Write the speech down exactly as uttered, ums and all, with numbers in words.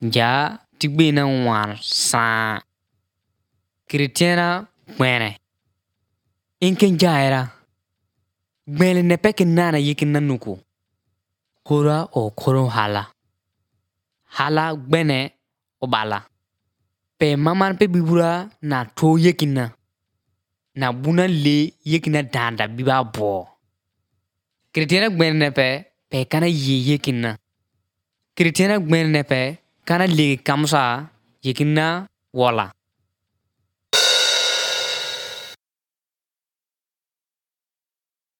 Ja tigbe na wan sa Kritiana gbene. Inken jaira. Gbele ne peke nana yikin nanuku. Kora o koro hala. Hala gbene obala. Pe maman pe bibura na to yekina. Na buna le yekina danda biba bo. Kritiana gbene ne pe pe kana ye yekina. Kritiana gbene ne pe kana le kamsa yekina wala.